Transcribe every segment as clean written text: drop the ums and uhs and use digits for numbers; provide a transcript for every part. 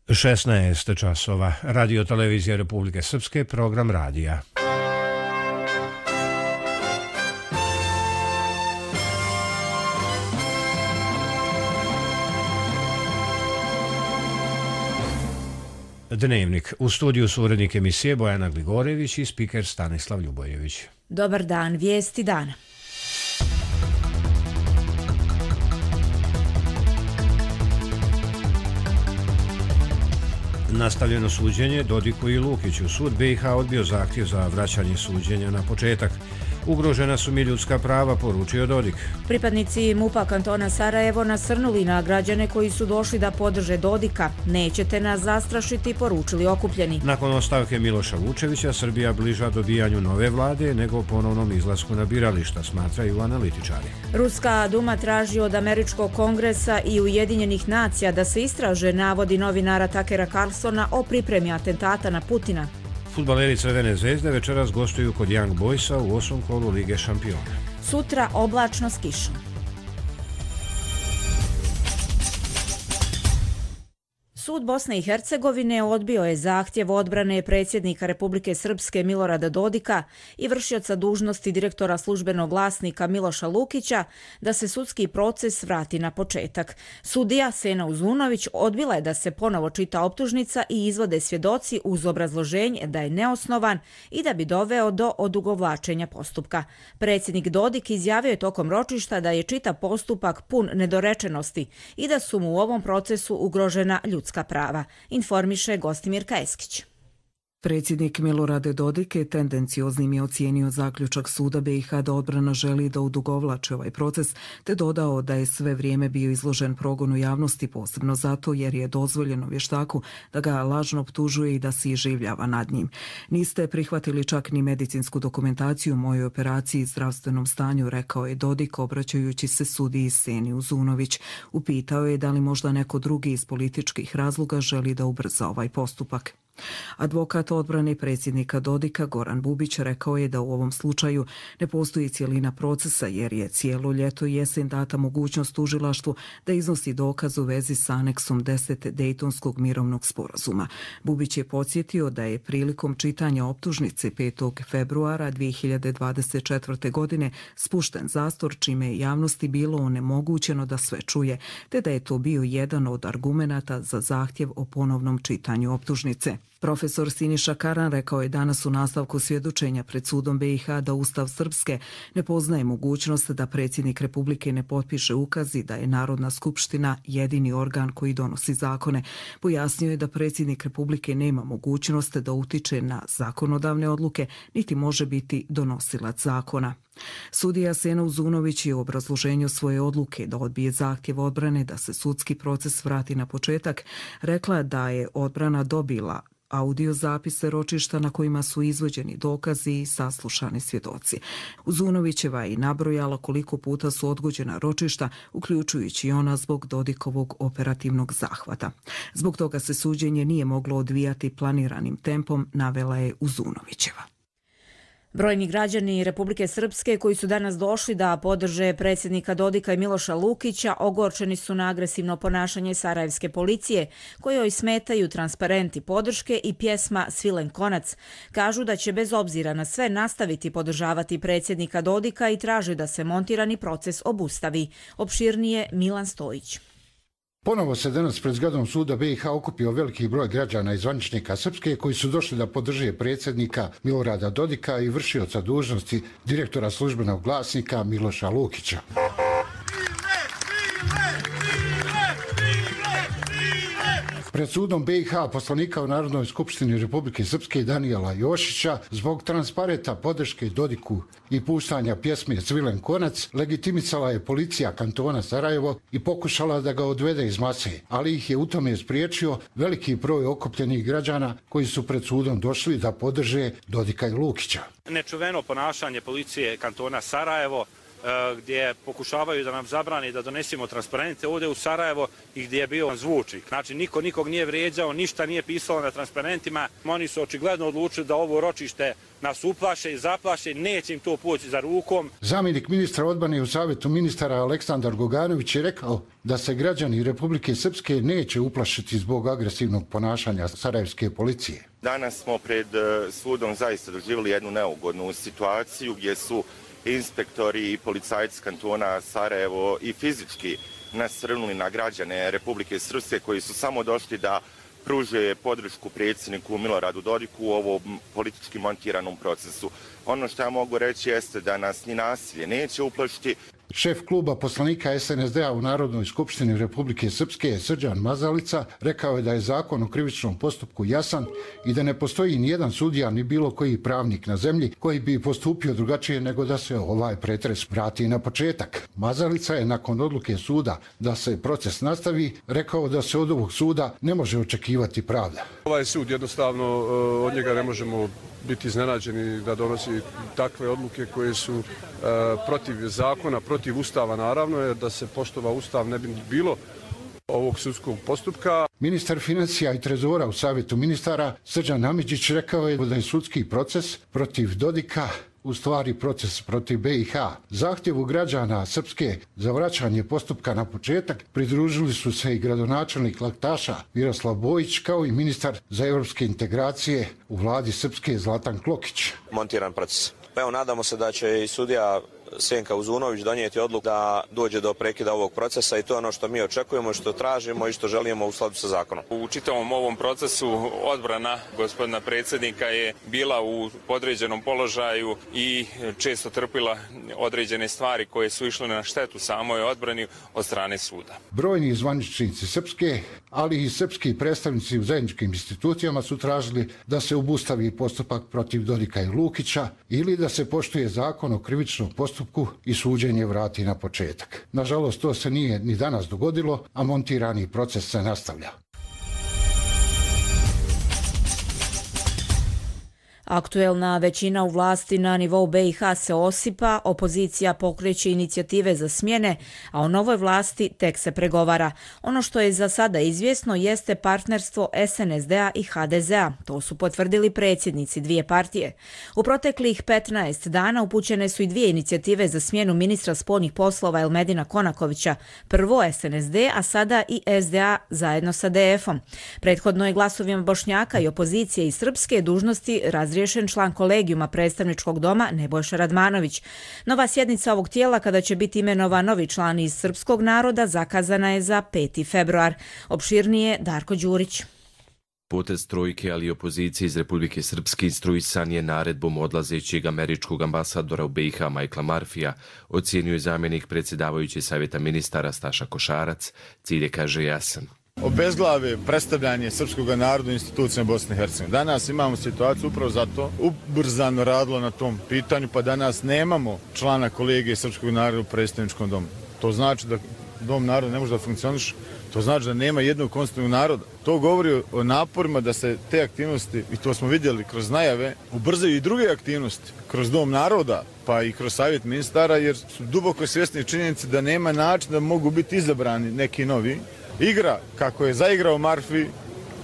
16 časova. Radio televizija Republike Srpske, program radija. Dnevnik. U studiju su urednik emisije Bojana Gligorević i spiker Stanislav Ljubojević. Dobar dan, vijesti dana. Nastavljeno suđenje Dodiku i Lukiću. Sud BiH odbio zahtjev za vraćanje suđenja na početak. Ugrožena su mi ljudska prava, poručio Dodik. Pripadnici MUP-a kantona Sarajevo nasrnuli na građane koji su došli da podrže Dodika. Nećete nas zastrašiti, poručili okupljeni. Nakon ostavke Miloša Vučevića, Srbija bliža dobijanju nove vlade nego ponovnom izlasku na birališta, smatraju analitičari. Ruska Duma traži od Američkog kongresa i Ujedinjenih nacija da se istraže navodi novinara Takera Carlsona o pripremi atentata na Putina. Fudbaleri Crvene zvezde večeras gostuju kod Young Boysa u 8. kolu Lige šampiona. Sutra oblačno s kišom. Sud Bosne i Hercegovine odbio je zahtjev odbrane predsjednika Republike Srpske Milorada Dodika i vršioca dužnosti direktora službenog glasnika Miloša Lukića da se sudski proces vrati na početak. Sudija Sena Uzunović odbila je da se ponovo čita optužnica i izvode svjedoci uz obrazloženje da je neosnovan i da bi doveo do odugovlačenja postupka. Predsjednik Dodik izjavio je tokom ročišta da je čitav postupak pun nedorečenosti i da su mu u ovom procesu ugrožena ljudska prava, informiše Gostimirka Eskić. Predsjednik Milorad Dodik je tendencioznim je ocijenio zaključak suda BiH da odbrana želi da odugovlači ovaj proces, te dodao da je sve vrijeme bio izložen progonu javnosti, posebno zato jer je dozvoljeno vještaku da ga lažno optužuje i da se iživljava nad njim. Niste prihvatili čak ni medicinsku dokumentaciju u mojoj operaciji i zdravstvenom stanju, rekao je Dodik obraćajući se sudiji Seni Uzunović. Upitao je da li možda neko drugi iz političkih razloga želi da ubrza ovaj postupak. Advokat odbrane predsjednika Dodika Goran Bubić rekao je da u ovom slučaju ne postoji cijelina procesa jer je cijelo ljeto i jesen data mogućnost tužilaštvu da iznosi dokaz u vezi s aneksom 10 Dejtonskog mirovnog sporazuma. Bubić je podsjetio da je prilikom čitanja optužnice 5. februara 2024. godine spušten zastor, čime je javnosti bilo onemogućeno da sve čuje, te da je to bio jedan od argumenata za zahtjev o ponovnom čitanju optužnice. Profesor Siniša Karan rekao je danas u nastavku svjedočenja pred sudom BiH da Ustav Srpske ne poznaje mogućnost da predsjednik Republike ne potpiše ukaz i da je Narodna skupština jedini organ koji donosi zakone. Pojasnio je da predsjednik Republike nema mogućnost da utiče na zakonodavne odluke, niti može biti donosilac zakona. Sudija Sena Uzunović je u obrazloženju svoje odluke da odbije zahtjev odbrane da se sudski proces vrati na početak rekla da je odbrana dobila audio zapise ročišta na kojima su izvođeni dokazi i saslušani svjedoci. Uzunovićeva je nabrojala koliko puta su odgođena ročišta, uključujući i ona zbog Dodikovog operativnog zahvata. Zbog toga se suđenje nije moglo odvijati planiranim tempom, navela je Uzunovićeva. Brojni građani Republike Srpske koji su danas došli da podrže predsjednika Dodika i Miloša Lukića ogorčeni su na agresivno ponašanje sarajevske policije, kojoj smetaju transparenti podrške i pjesma Svilen konac. Kažu da će bez obzira na sve nastaviti podržavati predsjednika Dodika i traže da se montirani proces obustavi. Opširnije Milan Stojić. Ponovo se danas pred zgradom suda BiH okupio veliki broj građana i zvaničnika Srpske koji su došli da podrže predsjednika Milorada Dodika i vršioca dužnosti direktora službenog glasnika Miloša Lukića. Pred sudom BiH poslanika u Narodnoj skupštini Republike Srpske Danijela Jošića zbog transparenta podrške Dodiku i puštanja pjesme Svilen konac legitimisala je policija kantona Sarajevo i pokušala da ga odvede iz mase, ali ih je u tome spriječio veliki broj okupljenih građana koji su pred sudom došli da podrže Dodika i Lukića. Nečuveno ponašanje policije kantona Sarajevo gdje pokušavaju da nam zabrani da donesemo transparente ovdje u Sarajevo i gdje je bio zvučnik. Znači, niko nikog nije vrijeđao, ništa nije pisalo na transparentima. Oni su očigledno odlučili da ovo ročište nas uplaše i zaplaše, neće im to poći za rukom. Zamjenik ministra odbrane u Savjetu ministara Aleksandar Goganović je rekao da se građani Republike Srpske neće uplašiti zbog agresivnog ponašanja sarajevske policije. Danas smo pred sudom zaista doživjeli jednu neugodnu situaciju gdje su inspektori i policajci kantona Sarajevo i fizički nasrnuli na građane Republike Srpske koji su samo došli da pruže podršku predsjedniku Miloradu Dodiku u ovom politički montiranom procesu. Ono što ja mogu reći jeste da nas ni nasilje neće uplašiti. Šef kluba poslanika SNSD-a u Narodnoj skupštini Republike Srpske, Srđan Mazalica, rekao je da je zakon o krivičnom postupku jasan i da ne postoji ni jedan sudija ni bilo koji pravnik na zemlji koji bi postupio drugačije nego da se ovaj pretres vrati na početak. Mazalica je nakon odluke suda da se proces nastavi rekao da se od ovog suda ne može očekivati pravda. Ovaj sud jednostavno od njega ne možemo biti iznenađeni da donosi takve odluke koje su protiv zakona, protiv Ustava naravno, jer da se poštova Ustav ne bi bilo ovog sudskog postupka. Ministar financija i trezora u Savjetu ministara Srđan Amidžić rekao je da je sudski proces protiv Dodika u stvari proces protiv BiH. Zahtjevu građana Srpske za vraćanje postupka na početak pridružili su se i gradonačelnik Laktaša Miroslav Bojić kao i ministar za europske integracije u vladi Srpske Zlatan Klokić. Montiran proces. Evo, nadamo se da će i sudija Senka Uzunović donijeti odluku da dođe do prekida ovog procesa i to je ono što mi očekujemo, što tražimo i što želimo u skladu sa zakonom. U čitavom ovom procesu odbrana gospodina predsjednika je bila u podređenom položaju i često trpila određene stvari koje su išle na štetu samoj odbrani od strane suda. Brojni zvaničnici Srpske, ali i srpski predstavnici u zajedničkim institucijama su tražili da se obustavi postupak protiv Dodika i Lukića ili da se poštuje zakon o krivičnom postupku i suđenje vrati na početak. Nažalost, to se nije ni danas dogodilo, a montirani proces se nastavlja. Aktuelna većina u vlasti na nivou BiH se osipa, opozicija pokreće inicijative za smjene, a o novoj vlasti tek se pregovara. Ono što je za sada izvjesno jeste partnerstvo SNSD-a i HDZ-a. To su potvrdili predsjednici dvije partije. U proteklih 15 dana upućene su i dvije inicijative za smjenu ministra spoljnih poslova Elmedina Konakovića. Prvo SNSD, a sada i SDA zajedno sa DF-om. Prethodno je glasovima Bošnjaka i opozicije iz Srpske dužnosti razriješen član kolegijuma predstavničkog doma Nebojša Radmanović. Nova sjednica ovog tijela, kada će biti imenovan novi član iz srpskog naroda, zakazana je za 5. februar. Opširnije Darko Đurić. Potez trojke, ali i opozicije iz Republike Srpske instruisan je naredbom odlazećeg američkog ambasadora u BiH Michaela Murphyja, ocijenio je zamjenik predsjedavajuće Savjeta ministara Staša Košarac. Cilj je, kaže, jasan. Obezglave predstavljanje srpskog naroda u institucijama Bosne i Hercegovine. Danas imamo situaciju upravo zato ubrzano radilo na tom pitanju, pa danas nemamo člana kolegije srpskog naroda u predstavničkom domu. To znači da dom naroda ne može da funkcioniše, to znači da nema jednog konstitutivnog naroda. To govori o naporima da se te aktivnosti, i to smo vidjeli kroz najave, ubrzaju i druge aktivnosti kroz dom naroda, pa i kroz savjet ministara, jer su duboko svjesni činjenice da nema načina da mogu biti izabrani neki novi. Igra, kako je zaigrao Murphy,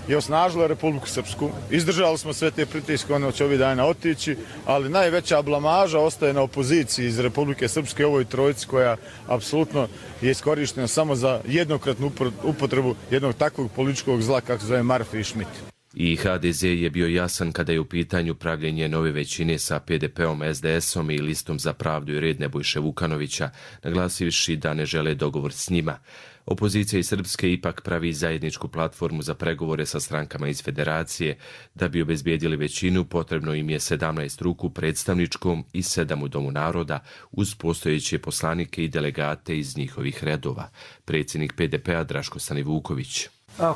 je osnažila Republiku Srpsku. Izdržali smo sve te pritiske, ono će ovih dana otići, ali najveća blamaža ostaje na opoziciji iz Republike Srpske, ovoj trojici koja apsolutno je iskorištena samo za jednokratnu upotrebu jednog takvog političkog zla kako se zove Murphy i Schmidt. I HDZ je bio jasan kada je u pitanju pravljenje nove većine sa PDP-om, SDS-om i Listom za pravdu i red Nebojše Vukanovića, naglasivši da ne žele dogovor s njima. Opozicija iz Srpske ipak pravi zajedničku platformu za pregovore sa strankama iz federacije. Da bi obezbijedili većinu, potrebno im je 17 ruku predstavničkom i 7 u Domu naroda, uz postojeće poslanike i delegate iz njihovih redova. Predsjednik PDP-a Draško Stanivuković.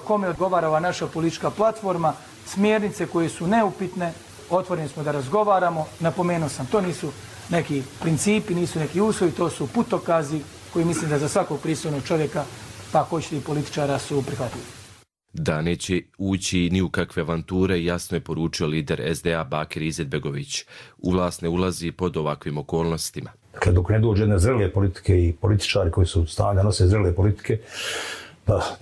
Kome odgovara ova naša politička platforma, smjernice koje su neupitne, otvoreni smo da razgovaramo. Napomenuo sam, to nisu neki principi, nisu neki uslovi, to su putokazi koji mislim da za svakog pristojnog čovjeka, pa hoćete i političara, su prihvatljivi. Da neće ući ni u kakve avanture, jasno je poručio lider SDA Bakir Izetbegović. U vlast ne ulazi pod ovakvim okolnostima. Dakle, dok ne dođe jedne zrele politike i političari koji su u stanju da nose zrele politike,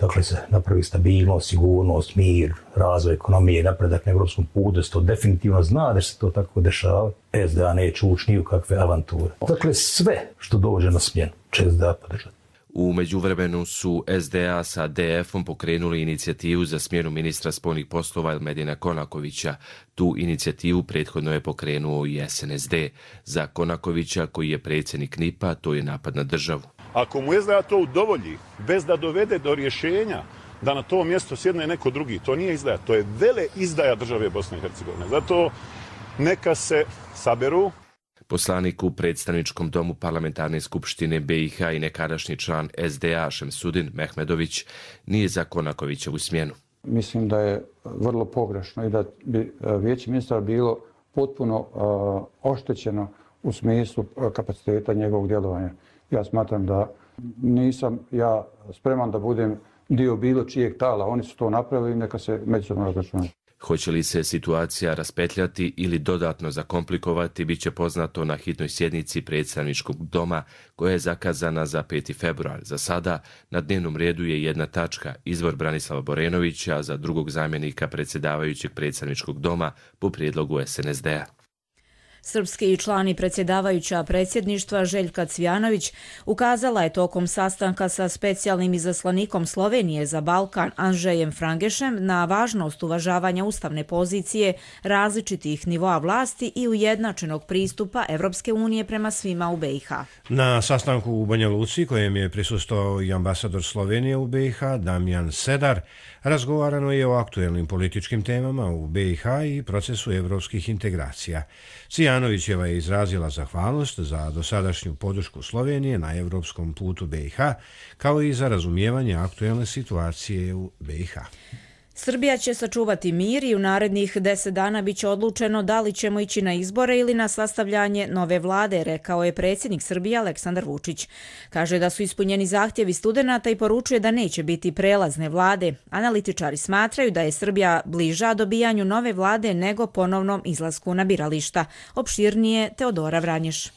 dakle se napravi stabilnost, sigurnost, mir, razvoj ekonomije, napredak na evropskom putu, to definitivno zna da se to tako dešava. SDA neće ući ni u kakve avanture. Dakle, sve što dođe na smjenu će SDA podržati. U međuvremenu su SDA sa DF-om pokrenuli inicijativu za smjenu ministra spoljnih poslova Elmedina Konakovića. Tu inicijativu prethodno je pokrenuo i SNSD. Za Konakovića, koji je predsjednik NIP-a, to je napad na državu. Ako mu SDA to udovolji, bez da dovede do rješenja da na to mjesto sjedne neko drugi, to nije izdaja, to je vele izdaja države Bosne i Hercegovine. Zato neka se saberu. Poslanik u predstavničkom domu parlamentarne skupštine BiH i nekadašnji član SDA Šemsudin Mehmedović nije za Konakovićevu smjenu. Mislim da je vrlo pogrešno i da bi vijeće ministara bilo potpuno oštećeno u smislu kapaciteta njegovog djelovanja. Ja smatram da nisam ja spreman da budem dio bilo čijeg tala. Oni su to napravili i neka se međusobno razračunaju. Hoće li se situacija raspetljati ili dodatno zakomplikovati, bit će poznato na hitnoj sjednici predstavničkog doma koja je zakazana za 5. februar. Za sada na dnevnom redu je jedna tačka, izbor Branislava Borenovića za drugog zamjenika predsjedavajućeg predstavničkog doma po prijedlogu SNSD-a. Srpski člani predsjedavajuća predsjedništva Željka Cvijanović ukazala je tokom sastanka sa specijalnim izaslanikom Slovenije za Balkan Andžejem Frangešem na važnost uvažavanja ustavne pozicije različitih nivoa vlasti i ujednačenog pristupa Evropske unije prema svima u BiH. Na sastanku u Banja Luci, kojem je prisustvovao i ambasador Slovenije u BiH Damjan Sedar, razgovarano je o aktuelnim političkim temama u BiH i procesu evropskih integracija. Cvijanovićeva je izrazila zahvalnost za dosadašnju podršku Slovenije na evropskom putu BiH, kao i za razumijevanje aktuelne situacije u BiH. Srbija će sačuvati mir i u narednih 10 dana biće odlučeno da li ćemo ići na izbore ili na sastavljanje nove vlade, rekao je predsjednik Srbije Aleksandar Vučić. Kaže da su ispunjeni zahtjevi studenata i poručuje da neće biti prelazne vlade. Analitičari smatraju da je Srbija bliža dobijanju nove vlade nego ponovnom izlasku na birališta. Opširnije Teodora Vranješ.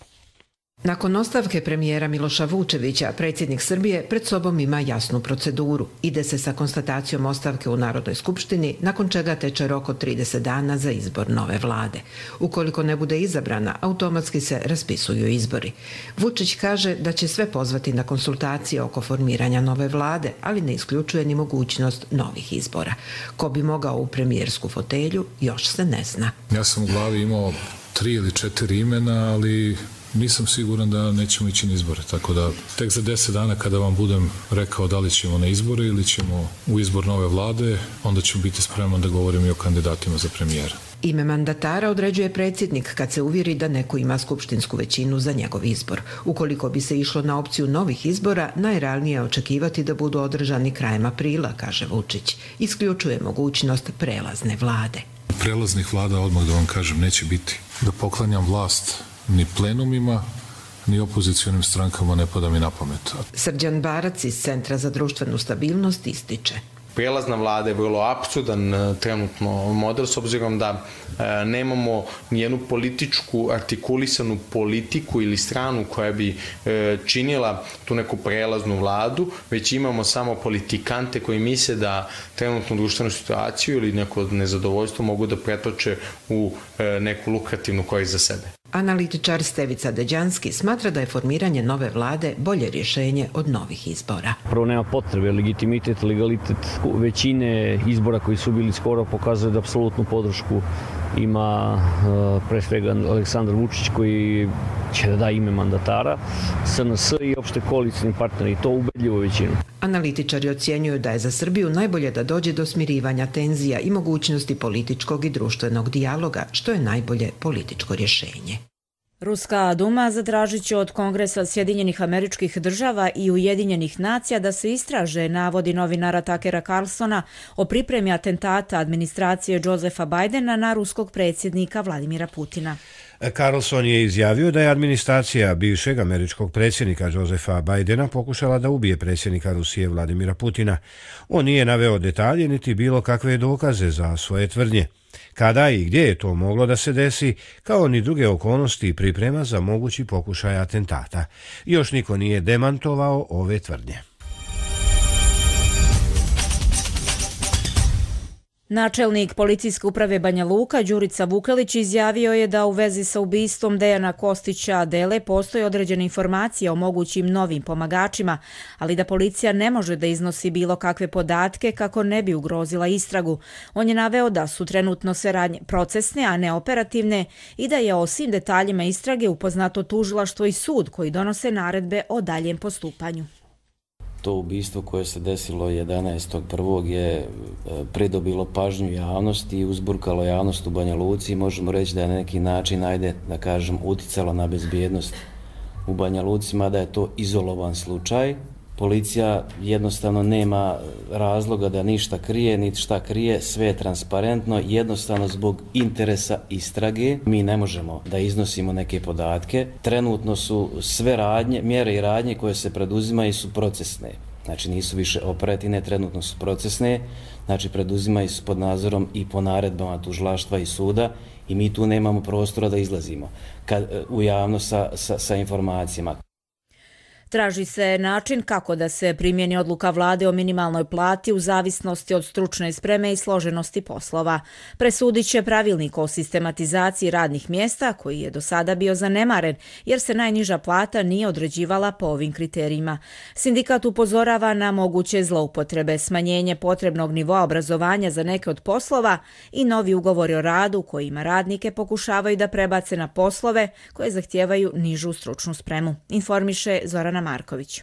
Nakon ostavke premijera Miloša Vučevića, predsjednik Srbije pred sobom ima jasnu proceduru. Ide se sa konstatacijom ostavke u Narodnoj skupštini, nakon čega teče rok od 30 dana za izbor nove vlade. Ukoliko ne bude izabrana, automatski se raspisuju izbori. Vučić kaže da će sve pozvati na konsultacije oko formiranja nove vlade, ali ne isključuje ni mogućnost novih izbora. Ko bi mogao u premijersku fotelju, još se ne zna. Ja sam u glavi imao 3 ili 4 imena, ali nisam siguran da nećemo ići na izbore, tako da tek za 10 dana kada vam budem rekao da li ćemo na izbore ili ćemo u izbor nove vlade, onda ću biti spreman da govorim i o kandidatima za premijera. Ime mandatara određuje predsjednik kad se uvjeri da neko ima skupštinsku većinu za njegov izbor. Ukoliko bi se išlo na opciju novih izbora, najrealnije je očekivati da budu održani krajem aprila, kaže Vučić. Isključuje mogućnost prelazne vlade. Prelaznih vlada, odmah da vam kažem, neće biti. Da poklanjam vlast ni plenumima, ni opozicionim strankama ne pada mi na pamet. Srđan Barac iz Centra za društvenu stabilnost ističe. Prijelazna vlada je vrlo apsurdan trenutno model, s obzirom da nemamo nijednu političku artikulisanu politiku ili stranu koja bi činila tu neku prelaznu vladu, već imamo samo politikante koji misle da trenutnu društvenu situaciju ili neko nezadovoljstvo mogu da pretoče u neku lukrativnu korist za sebe. Analitičar Stevica Deđanski smatra da je formiranje nove vlade bolje rješenje od novih izbora. Prvo nema potrebe, legitimitet, legalitet većine izbora koji su bili skoro pokazuje da apsolutnu podršku ima pre svega Aleksandar Vučić koji će da da ime mandatara, SNS i opšte koalicijni partneri, to ubedljivo većinu. Analitičari ocjenjuju da je za Srbiju najbolje da dođe do smirivanja tenzija i mogućnosti političkog i društvenog dijaloga, što je najbolje političko rješenje. Ruska Duma zatražit će od Kongresa Sjedinjenih Američkih Država i Ujedinjenih Nacija da se istraže navodi novinara Takera Carlsona o pripremi atentata administracije Josefa Bidena na ruskog predsjednika Vladimira Putina. Carlson je izjavio da je administracija bivšeg američkog predsjednika Josefa Bidena pokušala da ubije predsjednika Rusije Vladimira Putina. On nije naveo detalje niti bilo kakve dokaze za svoje tvrdnje. Kada i gdje je to moglo da se desi, kao ni druge okolnosti i priprema za mogući pokušaj atentata. Još niko nije demantovao ove tvrdnje. Načelnik policijske uprave Banja Luka, Đurica Vukelić, izjavio je da u vezi sa ubistvom Dejana Kostića Dele postoje određene informacije o mogućim novim pomagačima, ali da policija ne može da iznosi bilo kakve podatke kako ne bi ugrozila istragu. On je naveo da su trenutno sve radnje procesne, a ne operativne i da je o svim detaljima istrage upoznato tužilaštvo i sud koji donose naredbe o daljem postupanju. To ubistvo koje se desilo 11.1. je pridobilo pažnju javnosti i uzburkalo javnost u Banja Luci i možemo reći da je na neki način, uticalo na bezbjednost u Banja Luci, mada je to izolovan slučaj. Policija jednostavno nema razloga da ništa krije, niti šta krije, sve je transparentno, jednostavno zbog interesa istrage. Mi ne možemo da iznosimo neke podatke. Trenutno su sve mjere i radnje koje se preduzimaju su procesne. Znači nisu više operativne, trenutno su procesne, znači preduzimaju se pod nadzorom i po naredbama tužilaštva i suda i mi tu nemamo prostora da izlazimo u javnost sa informacijama. Traži se način kako da se primjeni odluka vlade o minimalnoj plati u zavisnosti od stručne spreme i složenosti poslova. Presudit će pravilnik o sistematizaciji radnih mjesta koji je do sada bio zanemaren jer se najniža plata nije određivala po ovim kriterijima. Sindikat upozorava na moguće zloupotrebe, smanjenje potrebnog nivoa obrazovanja za neke od poslova i novi ugovori o radu kojima radnike pokušavaju da prebace na poslove koje zahtijevaju nižu stručnu spremu. Informiše Zorana Marković.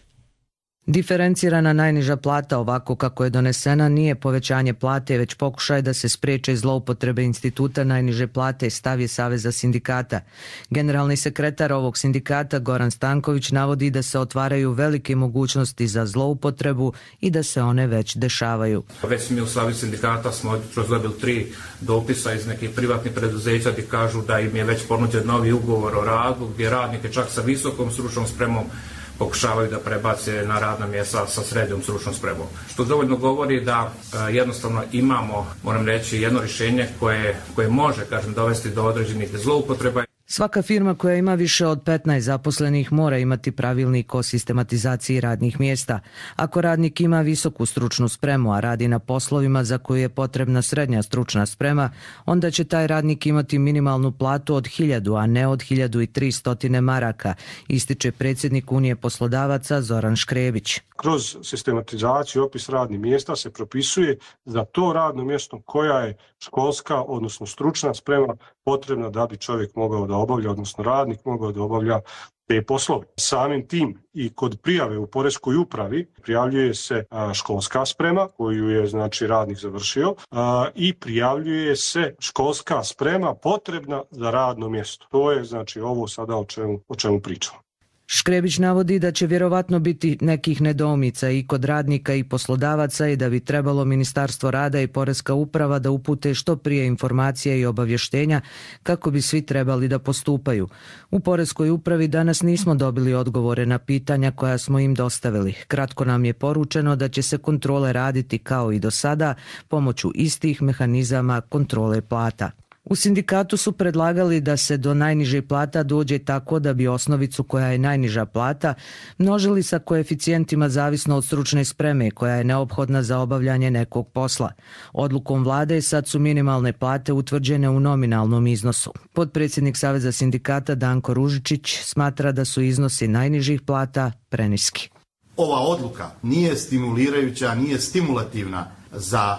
Diferencirana najniža plata ovako kako je donesena nije povećanje plate, već pokušaj da se spriječe zloupotrebe instituta najniže plate, stav je Saveza sindikata. Generalni sekretar ovog sindikata Goran Stanković navodi da se otvaraju velike mogućnosti za zloupotrebu i da se one već dešavaju. Već mi u Savezu sindikata smo jutros dobili 3 dopisa iz nekih privatnih preduzeća gdje kažu da im je već ponuđen novi ugovor o radu, gdje radnike čak sa visokom stručnom spremom pokušavaju da prebace na radna mjesta sa srednjom stručnom spremom. Što dovoljno govori da jednostavno imamo, moram reći, jedno rješenje koje može, dovesti do određenih zloupotreba. Svaka firma koja ima više od 15 zaposlenih mora imati pravilnik o sistematizaciji radnih mjesta. Ako radnik ima visoku stručnu spremu, a radi na poslovima za koju je potrebna srednja stručna sprema, onda će taj radnik imati minimalnu platu od 1000, a ne od 1300 maraka, ističe predsjednik Unije poslodavaca Zoran Škrebić. Kroz sistematizaciju opis radnih mjesta se propisuje za to radno mjesto koja je školska, odnosno stručna sprema potrebna da bi čovjek mogao da obavlja, odnosno radnik mogao da obavlja te poslove. Samim tim i kod prijave u poreskoj upravi prijavljuje se školska sprema koju je radnik završio i prijavljuje se školska sprema potrebna za radno mjesto. To je ovo sada o čemu pričamo. Škrebić navodi da će vjerovatno biti nekih nedoumica i kod radnika i poslodavaca i da bi trebalo Ministarstvo rada i Poreska uprava da upute što prije informacije i obavještenja kako bi svi trebali da postupaju. U Poreskoj upravi danas nismo dobili odgovore na pitanja koja smo im dostavili. Kratko nam je poručeno da će se kontrole raditi kao i do sada pomoću istih mehanizama kontrole plata. U sindikatu su predlagali da se do najniže plata dođe tako da bi osnovicu koja je najniža plata množili sa koeficijentima zavisno od stručne spreme koja je neophodna za obavljanje nekog posla. Odlukom vlade sad su minimalne plate utvrđene u nominalnom iznosu. Potpredsjednik Saveza sindikata Danko Ružičić smatra da su iznosi najnižih plata preniski. Ova odluka nije stimulirajuća, nije stimulativna za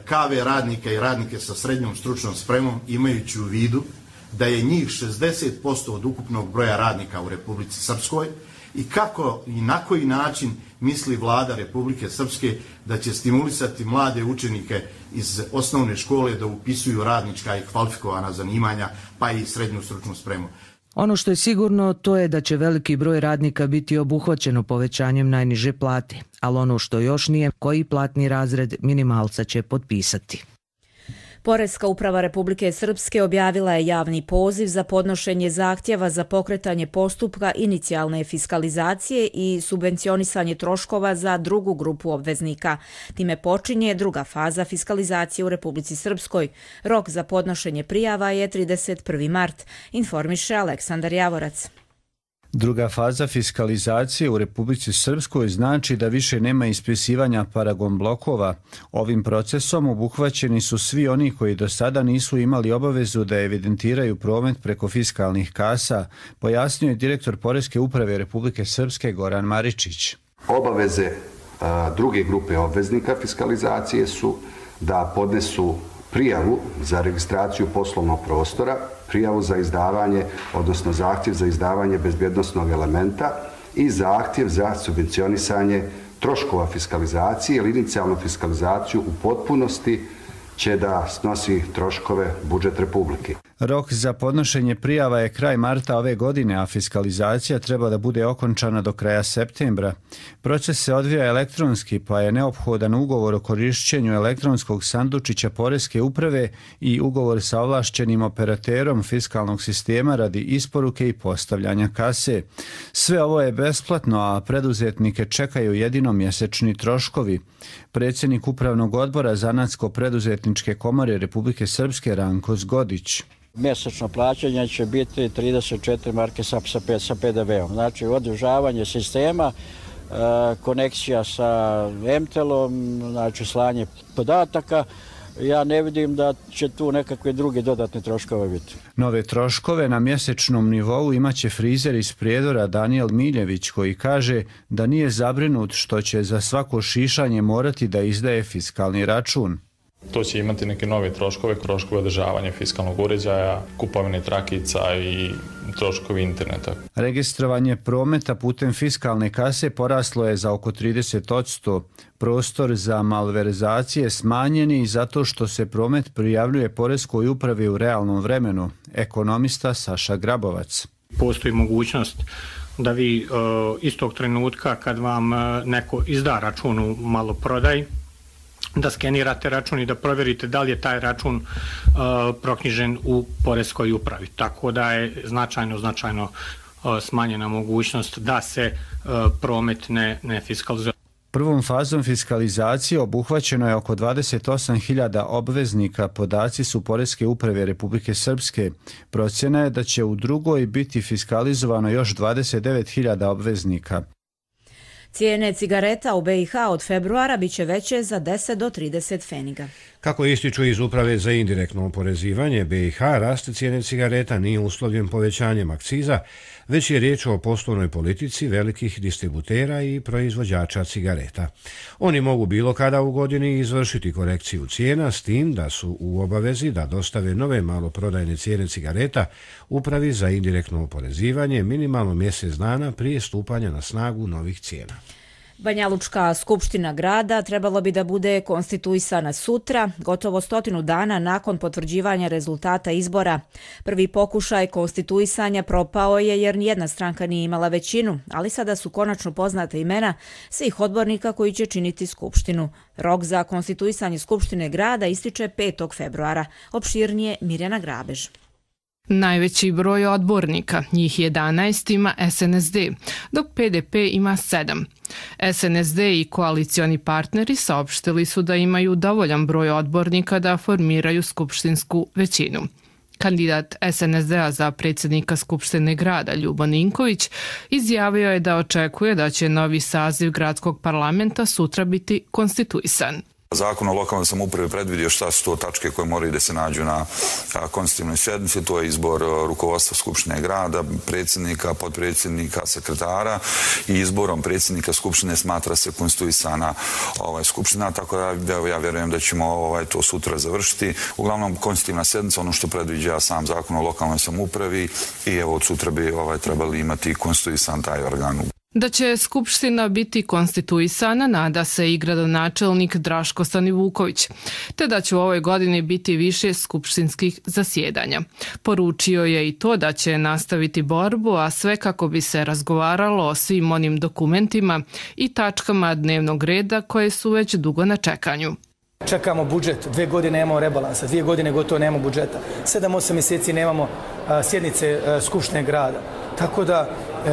KV radnika i radnike sa srednjom stručnom spremom, imajući u vidu da je njih 60% od ukupnog broja radnika u Republici Srpskoj i kako i na koji način misli vlada Republike Srpske da će stimulisati mlade učenike iz osnovne škole da upisuju radnička i kvalifikovana zanimanja pa i srednju stručnu spremu. Ono što je sigurno to je da će veliki broj radnika biti obuhvaćeno povećanjem najniže plate, ali ono što još nije, koji platni razred minimalca će potpisati. Poreska uprava Republike Srpske objavila je javni poziv za podnošenje zahtjeva za pokretanje postupka inicijalne fiskalizacije i subvencionisanje troškova za drugu grupu obveznika. Time počinje druga faza fiskalizacije u Republici Srpskoj. Rok za podnošenje prijava je 31. mart, informiše Aleksandar Javorac. Druga faza fiskalizacije u Republici Srpskoj znači da više nema ispisivanja paragon blokova. Ovim procesom obuhvaćeni su svi oni koji do sada nisu imali obavezu da evidentiraju promet preko fiskalnih kasa, pojasnio je direktor Poreske uprave Republike Srpske Goran Maričić. Obaveze druge grupe obveznika fiskalizacije su da podnesu prijavu za registraciju poslovnog prostora, prijavu za izdavanje, odnosno zahtjev za izdavanje bezbjednosnog elementa i zahtjev za subvencionisanje troškova fiskalizacije ili inicijalnu fiskalizaciju u potpunosti će da snosi troškove budžet Republike. Rok za podnošenje prijava je kraj marta ove godine, a fiskalizacija treba da bude okončana do kraja septembra. Proces se odvija elektronski, pa je neophodan ugovor o korišćenju elektronskog sandučića Poreske uprave i ugovor sa ovlašćenim operaterom fiskalnog sistema radi isporuke i postavljanja kase. Sve ovo je besplatno, a preduzetnike čekaju jedino mjesečni troškovi. Predsjednik Upravnog odbora Zanatsko-preduzetničke komore Republike Srpske Ranko Zgodić. Mjesečno plaćanje će biti 34 marke sa PDV-om. Znači održavanje sistema, konekcija sa MTEL-om, znači slanje podataka. Ja ne vidim da će tu nekakve druge dodatne troškove biti. Nove troškove na mjesečnom nivou imaće frizer iz Prijedora Danijel Miljević, koji kaže da nije zabrinut što će za svako šišanje morati da izdaje fiskalni račun. To će imati neke nove troškove održavanja fiskalnog uređaja, kupovine trakica i troškovi interneta. Registrovanje prometa putem fiskalne kase poraslo je za oko 30%. Prostor za malverzacije smanjen je zato što se promet prijavljuje Poreskoj upravi u realnom vremenu. Ekonomista Saša Grabovac. Postoji mogućnost da vi istog trenutka kad vam neko izda račun u maloprodaj, da skenirate račun i da provjerite da li je taj račun proknjižen u Poreskoj upravi. Tako da je značajno smanjena mogućnost da se promet ne fiskalizuje. Prvom fazom fiskalizacije obuhvaćeno je oko 28.000 obveznika, podaci su Poreske uprave Republike Srpske. Procjena je da će u drugoj biti fiskalizovano još 29.000 obveznika. Cijene cigareta u BiH od februara biće veće za 10 do 30 pfeniga. Kako ističu iz Uprave za indirektno oporezivanje BiH, rast cijene cigareta nije uslovljen povećanjem akciza, već je riječ o poslovnoj politici velikih distributera i proizvođača cigareta. Oni mogu bilo kada u godini izvršiti korekciju cijena, s tim da su u obavezi da dostave nove maloprodajne cijene cigareta Upravi za indirektno oporezivanje minimalno mjesec dana prije stupanja na snagu novih cijena. Banjalučka skupština grada trebalo bi da bude konstituisana sutra, gotovo 100 dana nakon potvrđivanja rezultata izbora. Prvi pokušaj konstituisanja propao je jer nijedna stranka nije imala većinu, ali sada su konačno poznata imena svih odbornika koji će činiti skupštinu. Rok za konstituisanje skupštine grada ističe 5. februara. Opširnije Mirjana Grabež. Najveći broj odbornika, njih 11, ima SNSD, dok PDP ima 7. SNSD i koalicioni partneri saopštili su da imaju dovoljan broj odbornika da formiraju skupštinsku većinu. Kandidat SNSD-a za predsjednika Skupštine grada Ljubo Ninković izjavio je da očekuje da će novi saziv gradskog parlamenta sutra biti konstituisan. Zakon o lokalnoj samoupravi predvidio šta su to tačke koje moraju da se nađu na konstitutivnoj sjednici, to je izbor rukovodstva Skupštine grada, predsjednika, potpredsjednika, sekretara i izborom predsjednika Skupštine smatra se konstituisana Skupština, tako da ja vjerujem da ćemo to sutra završiti. Uglavnom, konstitutivna sjednica, ono što predviđa sam zakon o lokalnoj samoupravi i evo od sutra bi trebali imati konstituisan taj organ. Da će Skupština biti konstituisana nada se i gradonačelnik Draško Stanivuković, te da će u ovoj godini biti više skupštinskih zasjedanja. Poručio je i to da će nastaviti borbu, a sve kako bi se razgovaralo o svim onim dokumentima i tačkama dnevnog reda koje su već dugo na čekanju. Čekamo budžet, 2 godine nemamo rebalansa, 2 godine gotovo nemamo budžeta, 7-8 mjeseci nemamo sjednice Skupštine grada. Tako da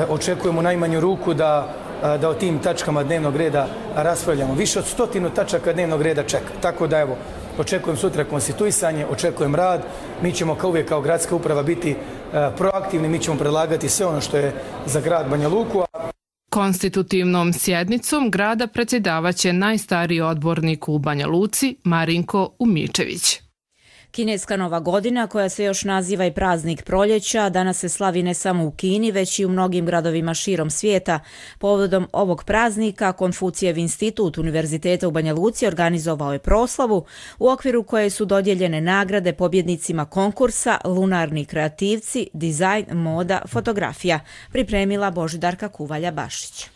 očekujemo najmanju ruku da o tim tačkama dnevnog reda raspravljamo. Više od 100 tačaka dnevnog reda čeka. Tako da evo, očekujem sutra konstituisanje, očekujem rad. Mi ćemo kao uvijek kao gradska uprava biti proaktivni, mi ćemo predlagati sve ono što je za grad Banja Luku. Konstitutivnom sjednicom grada predsjedavaće najstariji odbornik u Banja Luci, Marinko Umičević. Kineska Nova godina, koja se još naziva i praznik proljeća, danas se slavi ne samo u Kini, već i u mnogim gradovima širom svijeta. Povodom ovog praznika Konfucijev institut Univerziteta u Banja Luci organizovao je proslavu u okviru koje su dodijeljene nagrade pobjednicima konkursa Lunarni kreativci, dizajn, moda, fotografija, pripremila Božidarka Kuvalja-Bašić.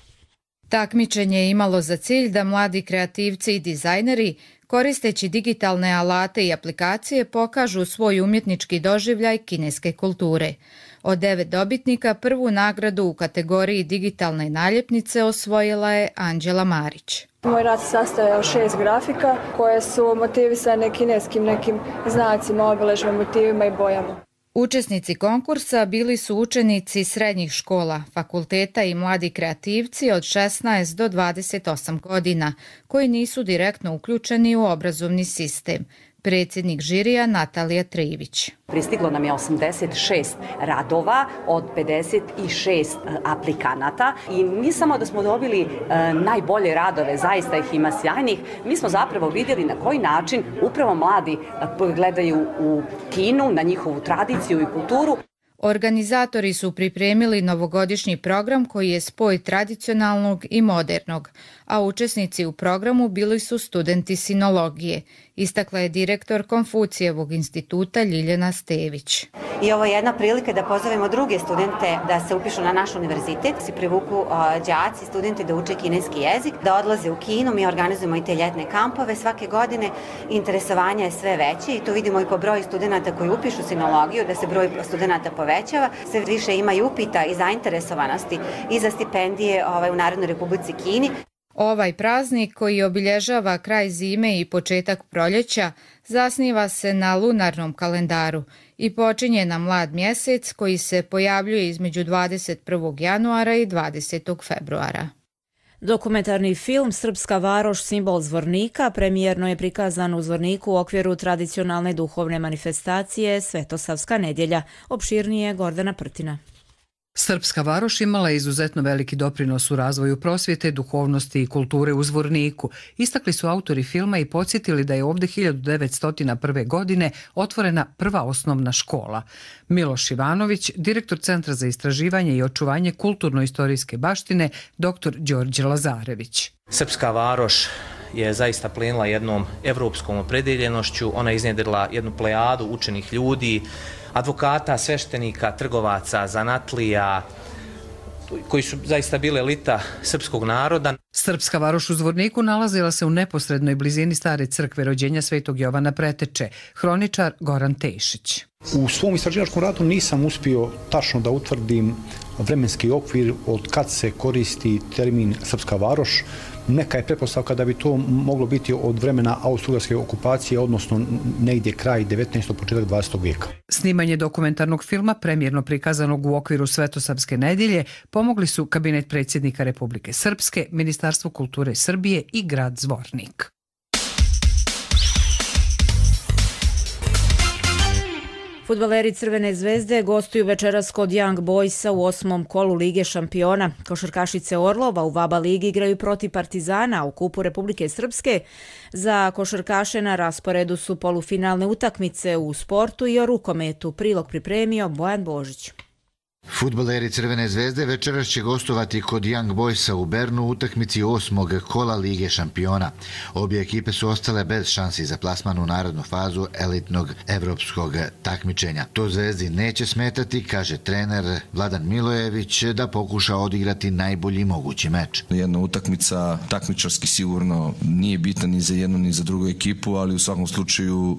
Takmičenje je imalo za cilj da mladi kreativci i dizajneri, koristeći digitalne alate i aplikacije, pokažu svoj umjetnički doživljaj kineske kulture. Od 9 dobitnika prvu nagradu u kategoriji digitalne naljepnice osvojila je Anđela Marić. Moj rad se sastoje od 6 grafika koje su motivisane kineskim nekim znacima, obilježbama, motivima i bojama. Učesnici konkursa bili su učenici srednjih škola, fakulteta i mladi kreativci od 16 do 28 godina, koji nisu direktno uključeni u obrazovni sistem. Predsjednik žirija Natalija Trivić. Pristiglo nam je 86 radova od 56 aplikanata i mi samo da smo dobili najbolje radove, zaista ih ima sjajnih, mi smo zapravo vidjeli na koji način upravo mladi gledaju u Kinu, na njihovu tradiciju i kulturu. Organizatori su pripremili novogodišnji program koji je spoj tradicionalnog i modernog, a učesnici u programu bili su studenti sinologije, istakla je direktor Konfucijevog instituta Ljiljana Stević. I ovo je jedna prilika da pozovemo druge studente da se upišu na naš univerzitet, da se privuku đaci, studenti da uče kineski jezik, da odlaze u Kinu. Mi organizujemo i te ljetne kampove svake godine. Interesovanje je sve veće i to vidimo i po broju studenta koji upišu sinologiju, da se broj studenta povećava. Sve više ima i upita i zainteresovanosti i za stipendije u Narodnoj Republici Kini. Ovaj praznik, koji obilježava kraj zime i početak proljeća, zasniva se na lunarnom kalendaru i počinje na mlad mjesec koji se pojavljuje između 21. januara i 20. februara. Dokumentarni film Srpska varoš, simbol Zvornika premijerno je prikazan u Zvorniku u okviru tradicionalne duhovne manifestacije Svetosavska nedjelja. Opširnije Gordana Prtina. Srpska varoš imala je izuzetno veliki doprinos u razvoju prosvjete, duhovnosti i kulture u Zvorniku. Istakli su autori filma i podsjetili da je ovdje 1901. godine otvorena prva osnovna škola. Miloš Ivanović, direktor Centra za istraživanje i očuvanje kulturno-istorijske baštine, dr. Đorđe Lazarević. Srpska varoš je zaista plenila jednom evropskom opredeljenošću. Ona je iznjedrila jednu plejadu učenih ljudi, advokata, sveštenika, trgovaca, zanatlija, koji su zaista bile elita srpskog naroda. Srpska varoš u Zvorniku nalazila se u neposrednoj blizini stare crkve rođenja Svetog Jovana Preteče, hroničar Goran Tešić. U svom istraživačkom radu nisam uspio tačno da utvrdim vremenski okvir od kad se koristi termin Srpska varoš. Neka je pretpostavka da bi to moglo biti od vremena austrougarske okupacije, odnosno negdje kraj 19. početak 20. vijeka. Snimanje dokumentarnog filma, premijerno prikazanog u okviru Svetosavske nedjelje, pomogli su Kabinet predsjednika Republike Srpske, Ministarstvo kulture Srbije i grad Zvornik. Fudbaleri Crvene zvezde gostuju večeras kod Young Boysa u 8. kolu Lige šampiona. Košarkašice Orlova u VABA ligi igraju protiv Partizana u Kupu Republike Srpske. Za košarkaše na rasporedu su polufinalne utakmice u sportu i o rukometu. Prilog pripremio Bojan Božić. Fudbaleri Crvene zvezde večeras će gostovati kod Young Boysa u Bernu u utakmici 8. kola Lige šampiona. Obje ekipe su ostale bez šansi za plasman u narodnu fazu elitnog evropskog takmičenja. To Zvezdi neće smetati, kaže trener Vladan Milojević, da pokuša odigrati najbolji mogući meč. Jedna utakmica takmičarski sigurno nije bitna ni za jednu ni za drugu ekipu, ali u svakom slučaju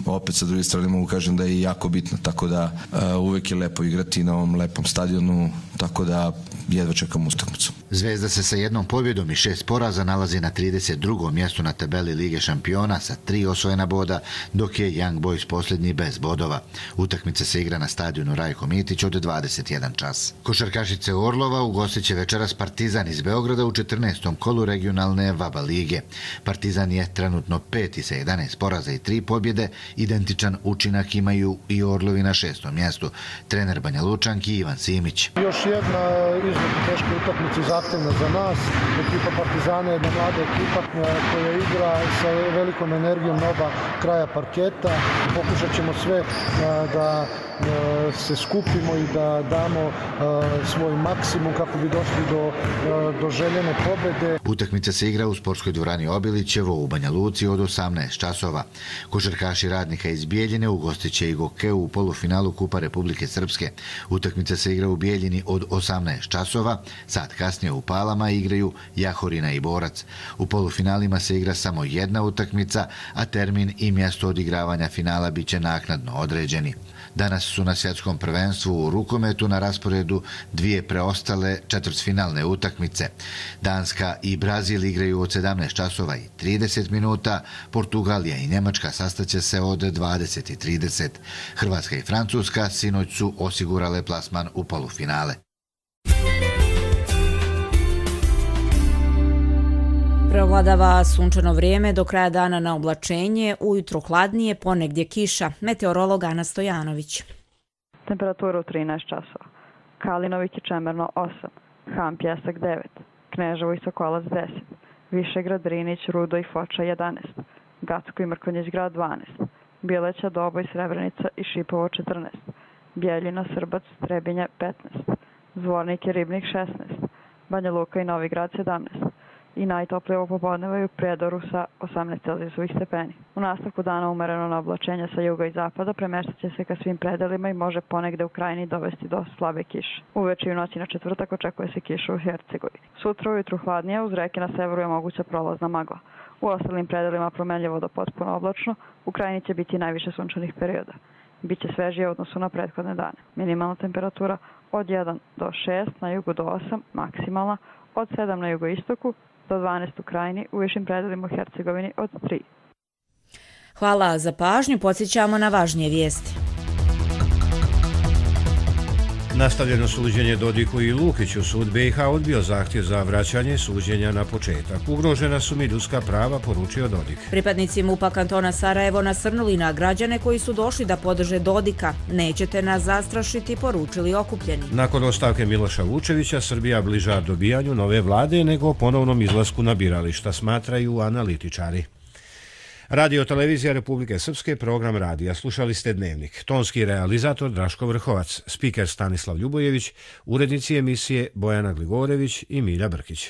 opet sa druge strane mogu kažem da je jako bitno, tako da uvek je lepo igrati na ovom lepom stadionu tako da jedva čekam utakmicu. Zvezda se sa jednom pobjedom i 6 poraza nalazi na 32. mjestu na tabeli Lige šampiona sa 3 osvojena boda, dok je Young Boys posljednji bez bodova. Utakmica se igra na stadionu Rajko Mitić od 21 čas. Košarkašice Orlova ugostit će večeras Partizan iz Beograda u 14. kolu regionalne VABA lige. Partizan je trenutno 5. sa 11 poraza i 3 pobjede, identičan učinak imaju i Orlovi na 6. mjestu. Trener Banja Lučanki Ivan Simić. Još jedna izuzetno teška utakmica i zahtevna za nas. Ekipa Partizana je jedna mlada ekipa koja igra sa velikom energijom na oba kraja parketa. Pokušat ćemo sve da se skupimo i da damo svoj maksimum kako bi došli do željene pobjede. Utakmica se igra u sportskoj dvorani Obilićevo u Banja Luci od 18 časova. Košarkaši Radnika iz Bijeljine ugostit će i Gokeu u polufinalu Kupa Republike Srpske. Utakmica se igra u Bijeljini od 18 časova. Sat kasnije u Palama igraju Jahorina i Borac. U polufinalima se igra samo jedna utakmica, a termin i mjesto odigravanja finala bit će naknadno određeni. Danas su na svjetskom prvenstvu u rukometu na rasporedu 2 preostale četvrtfinalne utakmice. Danska i Brazil igraju od 17 časova i 30 minuta, Portugalija i Njemačka sastaće se od 20:30. Hrvatska i Francuska sinoć su osigurale plasman u polufinale. Preovladava sunčano vrijeme, do kraja dana na oblačenje, ujutro hladnije, ponegdje kiša. Meteorolog Ana Stojanović. Temperatura u 13 časova. Kalinović i Čemerno 8, Ham Pjesak 9, Kneževo i Sokolac 10, Višegrad, Drinić, Rudo i Foča 11, Gacko i Mrkonjić grad 12, Bileća, Doboj, Srebrenica i Šipovo 14, Bjeljina, Srbac, Trebinje 15, Zvornik i Ribnik 16, Banja Luka i Novi Grad 17, i najtoplije ovo popodneva u Prijedoru sa 18 celzijusovih stepeni. U nastavku dana umereno na oblačenje sa juga i zapada premeštat će se ka svim predelima i može ponegde u krajini dovesti do slabe kiše. Uveče i u noći na četvrtak očekuje se kiša u Hercegovini. Sutra ujutru hladnije, uz reke na severu je moguća prolazna magla. U ostalim predelima promenljivo do potpuno oblačno, u krajini će biti najviše sunčanih perioda. Biće svežije u odnosu na prethodne dane. Minimalna temperatura od 1 do 6, na jugu do 8, maksimalna od 7 na jugoistoku, do 12 u krajini, u višim predelima u Hercegovini od 3. Hvala za pažnju, podsjećamo na važnije vijesti. Nastavljeno suđenje Dodiku i Lukiću, sud BiH odbio zahtjev za vraćanje suđenja na početak. Ugrožena su mi ljudska prava, poručio Dodik. Pripadnici MUP-a kantona Sarajevo nasrnuli na građane koji su došli da podrže Dodika. Nećete nas zastrašiti, poručili okupljeni. Nakon ostavke Miloša Vučevića, Srbija bliža dobijanju nove vlade nego ponovnom izlasku na birališta, smatraju analitičari. Radio televizija Republike Srpske, program radija. Slušali ste Dnevnik. Tonski realizator Draško Vrhovac, spiker Stanislav Ljubojević, urednici emisije Bojana Gligorević i Milja Brkić.